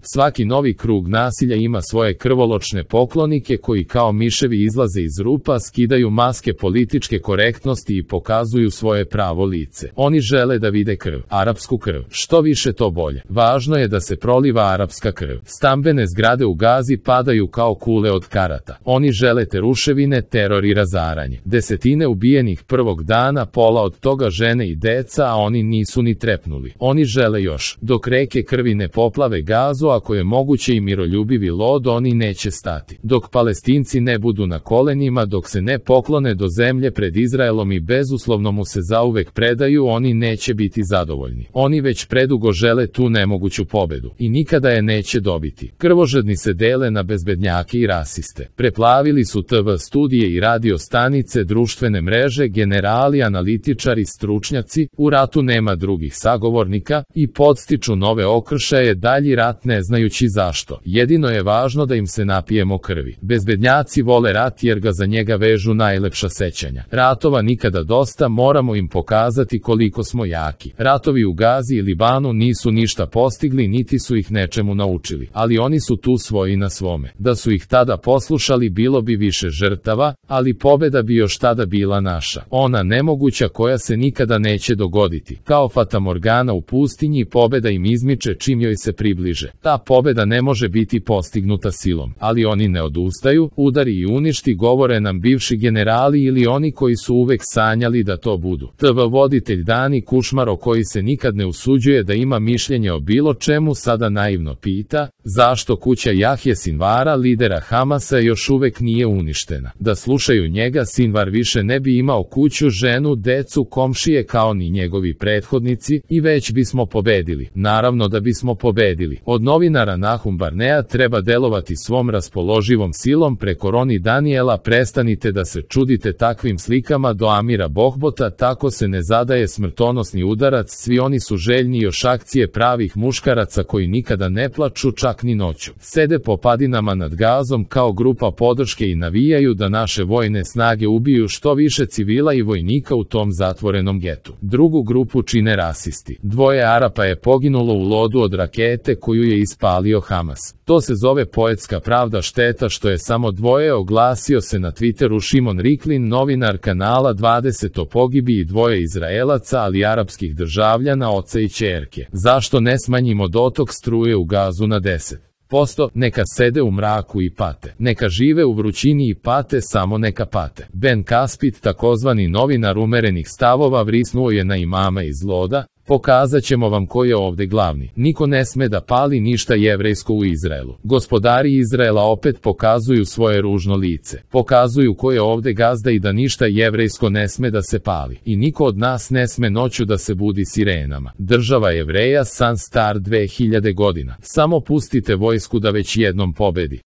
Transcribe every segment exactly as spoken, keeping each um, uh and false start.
Svaki novi krug nasilja ima svoje krvoločne poklonike koji kao miševi izlaze iz rupa, skidaju maske političke korektnosti i pokazuju svoje pravo lice. Oni žele da vide krv, arapsku krv. Što više to bolje. Važno je da se proliva arapska krv. Stambene zgrade u Gazi padaju kao kule od karata. Oni žele te ruševine, teror i razaranje. Desetine ubijenih prvog dana, pola od toga žene i deca, a oni nisu ni trepnuli. Oni žele još. Dok reke krvi ne poplave Gazu, ako je moguće i miroljubivi lod, oni neće stati. Dok Palestinci ne budu na kolenima, dok se ne poklone do zemlje pred Izraelom i bezuslovno mu se zauvek predaju, oni neće biti zadovoljni. Oni već predugo žele tu nemoguću pobedu i nikada je neće dobiti. Krvožedni se dele na bezbednjake i rasiste. Preplavili su te ve studije i radio stanice, društvene mreže, generali, analitičari, stručnjaci, u ratu nema drugih sagovornika i podstiču nove okršaje, dalji rat ne znajući zašto. Jedino je važno da im se napijemo krvi. Bezbednjaci vole rat jer ga za njega vežu najlepša sećanja. Ratova nikada dosta, moramo im pokazati koliko smo jaki. Ratovi u Gazi i Libanu nisu ništa postigli, niti su ih nečemu naučili, ali oni su tu svoji na svome. Da su ih tada poslušali, bilo bi više žrtava, ali pobeda bi još tada bila naša. Ona nemoguća koja se nikada neće dogoditi. Kao fatamorgana u pustinji, pobeda im izmiče čim joj se približe. Ta pobeda ne može biti postignuta silom, ali oni ne odustaju, udari i uništi, govore nam bivši generali ili oni koji su uvek sanjali da to budu. te ve voditelj Dani Kušmaro, koji se nikad ne usuđuje da ima mišljenje o bilo čemu, sada naivno pita, zašto kuća Jahje Sinvara, lidera Hamasa, još uvek nije uništena. Da slušaju njega, Sinvar više ne bi imao kuću, ženu, decu, komšije kao ni njegovi prethodnici i već bismo pobedili. Naravno da bismo pobedili. Od novinara Nahum Barnea treba delovati svom raspoloživom silom preko Roni Daniela, prestanite da se čudite takvim slikama, do Amira Bohbota, tako se ne zadaje smrtonosni udarac, svi oni su željni još akcije pravih muškaraca koji nikada ne plaču čak ni noću. Sede po padinama nad Gazom kao grupa podrške i navijaju da naše vojne snage ubiju što više civila i vojnika u tom zatvorenom getu. Drugu grupu čine rasisti. Dvoje Arapa je poginulo u lodu od rakete koju je ispalio Hamas. To se zove poetska pravda, šteta što je samo dvoje, oglasio se na Twitteru Šimon Riklin, novinar kanala dvadeset o pogibiji dvoje Izraelaca, ali arapskih državljana, oca i ćerke. Zašto ne smanjimo dotok struje u Gazu na deset posto, neka sede u mraku i pate. Neka žive u vrućini i pate, samo neka pate. Ben Kaspit, takozvani novinar umerenih stavova, vrisnuo je na imama iz Loda, pokazat ćemo vam ko je ovde glavni. Niko ne sme da pali ništa jevrejsko u Izraelu. Gospodari Izraela opet pokazuju svoje ružno lice. Pokazuju ko je ovde gazda i da ništa jevrejsko ne sme da se pali. I niko od nas ne sme noću da se budi sirenama. Država Jevreja, san star dve hiljade godina. Samo pustite vojsku da već jednom pobedi.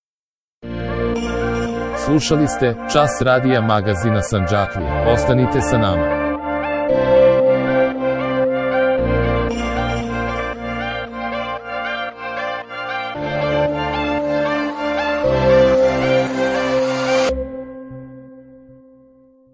Slušali ste Čas radija magazina Sandžaklija. Ostanite sa nama.